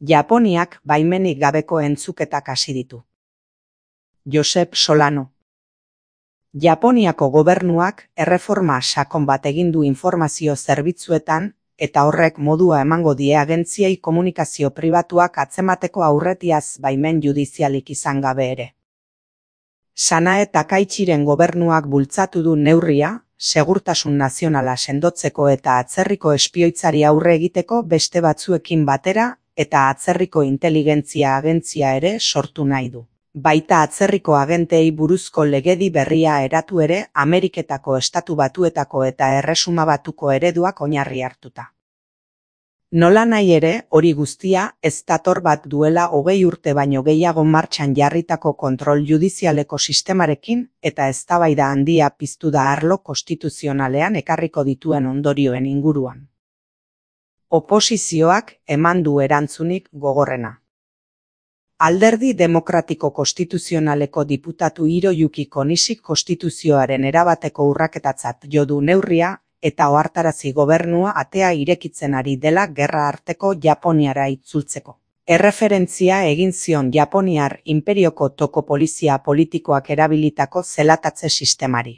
Japoniak baimenik gabeko entzuketak hasi ditu. Josep Solano. Japoniako gobernuak erreforma sakon bat egin du informazio zerbitzuetan eta horrek modua emango die agentziei komunikazio pribatuak atzemateko aurretiaz baimen judizialik izan gabe ere. Sanae Takaichiren gobernuak bultzatu du neurria, segurtasun nazionala sendotzeko eta atzerriko espioitzari aurre egiteko beste batzuekin batera eta atzerriko inteligentzia agentzia ere sortu nahi du. Baita atzerriko agenteei buruzko legedi berria eratu ere Ameriketako Estatu Batuetako eta Erresuma Batuko ereduak oinarri hartuta. Nolanahi ere, hori guztia ez dator bat duela 20 urte baino gehiago martxan jarritako kontrol judizialeko sistemarekin eta eztabaida handia piztu da arlo konstituzionalean ekarriko dituen ondorioen inguruan. Oposizioak eman du erantzunik gogorrena. Alderdi Demokratiko Konstituzionaleko diputatu Hiroyuki Konishik konstituzioaren erabateko urraketatzat jo du neurria eta ohartarazi gobernua atea irekitzen ari dela gerra arteko Japoniara itzultzeko. Erreferentzia egin zion Japoniar inperioko toko polizia politikoak erabilitako zelatatze sistemari.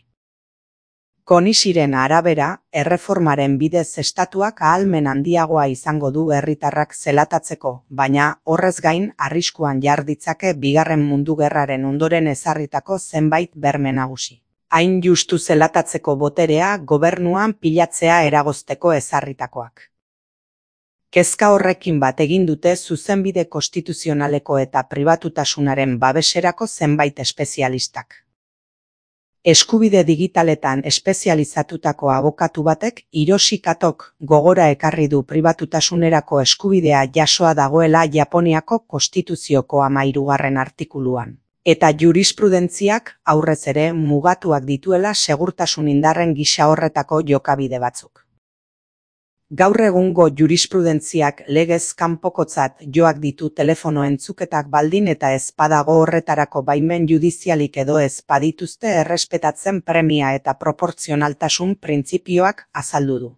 Konishiren arabera, erreformaren bidez estatuak ahalmen handiagoa izango du herritarrak zelatatzeko, baina horrez gain arriskuan jar ditzake Bigarren Mundu Gerraren ondoren ezarritako zenbait berme nagusi. Hain justu zelatatzeko boterea gobernuan pilatzea eragozteko ezarritakoak. Kezka horrekin bat egin dute zuzenbide konstituzionaleko eta pribatutasunaren babeserako zenbait espezialistak. Eskubide digitaletan espezializatutako abokatu batek Hiroshi Katok gogora ekarri du pribatutasunerako eskubidea jasoa dagoela Japoniako konstituzioko 13. artikuluan. Eta jurisprudentziak aurrez ere mugatuak dituela segurtasun indarren gisa horretako jokabide batzuk. Gaur egungo jurisprudentziak legez kanpokotzat joak ditu telefono entzuketak baldin eta ez badago horretarako baimen judizialik edo ez badituzte errespetatzen premia eta proportzionaltasun printzipioak azaldu du.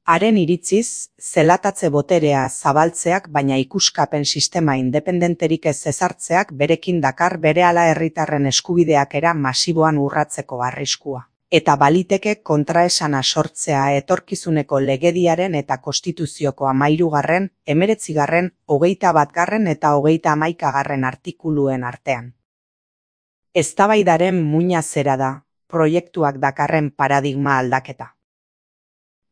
Haren iritziz, zelatatze boterea zabaltzeak baina ikuskapen sistema independenterik ez ezartzeak berekin dakar berehala herritarren eskubideak era masiboan urratzeko arriskua. Eta baliteke kontraesana sortzea etorkizuneko legediaren eta konstituzioko 13., 19., 21. eta 31. artikuluen artean. Eztabaidaren muina zera da, proiektuak dakarren paradigma aldaketa.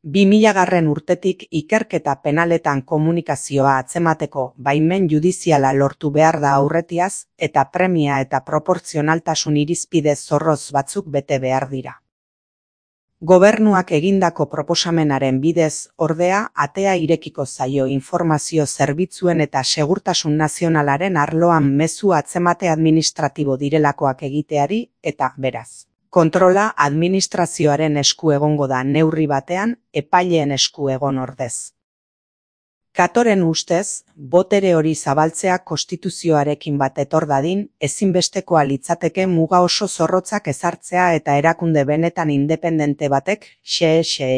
2000. urtetik ikerketa penaletan komunikazioa atzemateko baimen judiziala lortu behar da aurretiaz eta premia eta proportzionaltasun irizpide zorroz batzuk bete behar dira. Gobernuak egindako proposamenaren bidez, ordea, atea irekiko zaio informazio zerbitzuen eta segurtasun nazionalaren arloan mezu atzemate administratibo direlakoak egiteari eta, beraz, kontrola administrazioaren esku egongo da neurri batean, epaileen esku egon ordez. Katoren ustez, botere hori zabaltzea konstituzioarekin bat etor dadin, ezinbestekoa litzateke muga oso zorrotzak ezartzea eta erakunde benetan independente batek xe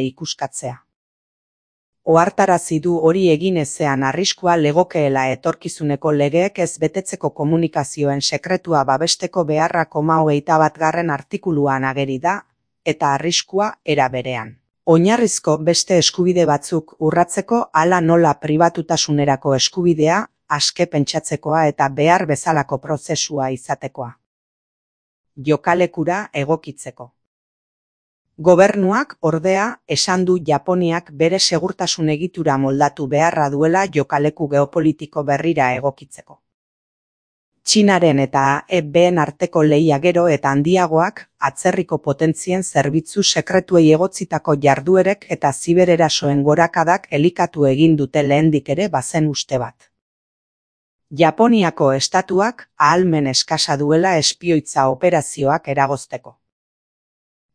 ikuskatzea. Ohartarazi du hori egin ezean arriskua legokeela etorkizuneko legeek ez betetzeko komunikazioen sekretua babesteko beharra 21. artikuluan ageri da, eta arriskua era berean. Oinarrizko beste eskubide batzuk urratzeko hala nola pribatutasunerako eskubidea, aske pentsatzekoa eta behar bezalako prozesua izatekoa. Jokalekura egokitzeko. Gobernuak, ordea, esan du Japoniak bere segurtasun egitura moldatu beharra duela jokaleku geopolitiko berrira egokitzeko. Txinaren eta EBen arteko lehia gero eta handiagoak atzerriko potentzien zerbitzu sekretuei egotzitako jarduerek eta zibererasoen gorakadak elikatu egin dute lehendik ere bazen uste bat. Japoniako estatuak ahalmen eskasa duela espioitza operazioak eragozteko.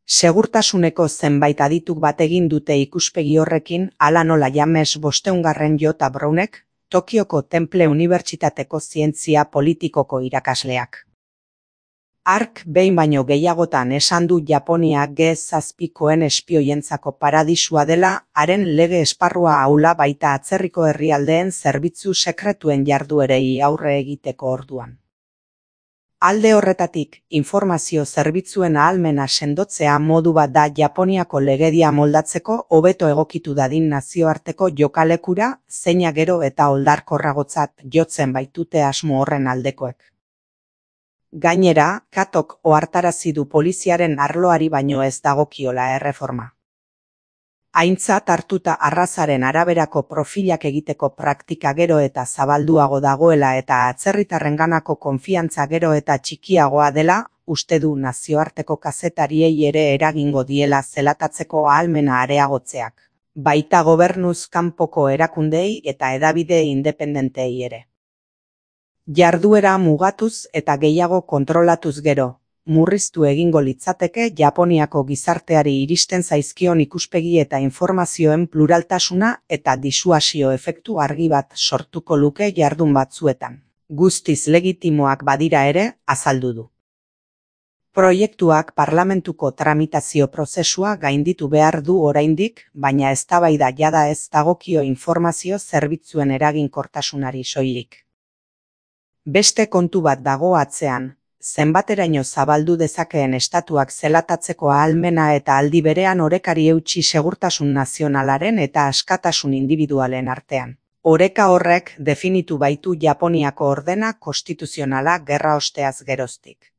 Segurtasuneko zenbait adituk bat egin dute ikuspegi horrekin hala nola James 500. J. Brownek, Tokioko Temple Unibertsitateko zientzia politikoko irakasleak. Hark behin baino gehiagotan esan du Japonia G7koen espioientzako paradisua dela, haren lege esparrua ahula baita atzerriko herrialdeen zerbitzu sekretuen jarduerei aurre egiteko orduan. Alde horretatik, informazio zerbitzuen ahalmena sendotzea modu bat da Japoniako legedia moldatzeko hobeto egokitu dadin nazioarteko jokalekura, zeina gero eta oldarkorragotzat jotzen baitute asmo horren aldekoek. Gainera, Katok ohartarazi du poliziaren arloari baino ez dagokiola erreforma. Aintzat hartuta arrazaren araberako profilak egiteko praktika gero eta zabalduago dagoela eta atzerritarrenganako konfiantza gero eta txikiagoa dela, uste du nazioarteko kazetariei ere eragingo diela zelatatzeko ahalmena areagotzeak, baita gobernuz kanpoko erakundei eta hedabide independentei ere. Jarduera mugatuz eta gehiago kontrolatuz gero, murriztu egingo litzateke Japoniako gizarteari iristen zaizkion ikuspegi eta informazioen pluraltasuna eta disuasio efektu argi bat sortuko luke jardun batzuetan. Guztiz legitimoak badira ere, azaldu du. Proiektuak parlamentuko tramitazio prozesua gainditu behar du oraindik, baina eztabaida jada ez dagokio informazio zerbitzuen eraginkortasunari soilik. Beste kontu bat dago atzean, zenbateraino zabaldu dezakeen estatuak zelatatzeko ahalmena eta aldi berean orekari eutsi segurtasun nazionalaren eta askatasun indibidualen artean. Oreka horrek definitu baitu Japoniako ordena konstituzionala gerra osteaz geroztik.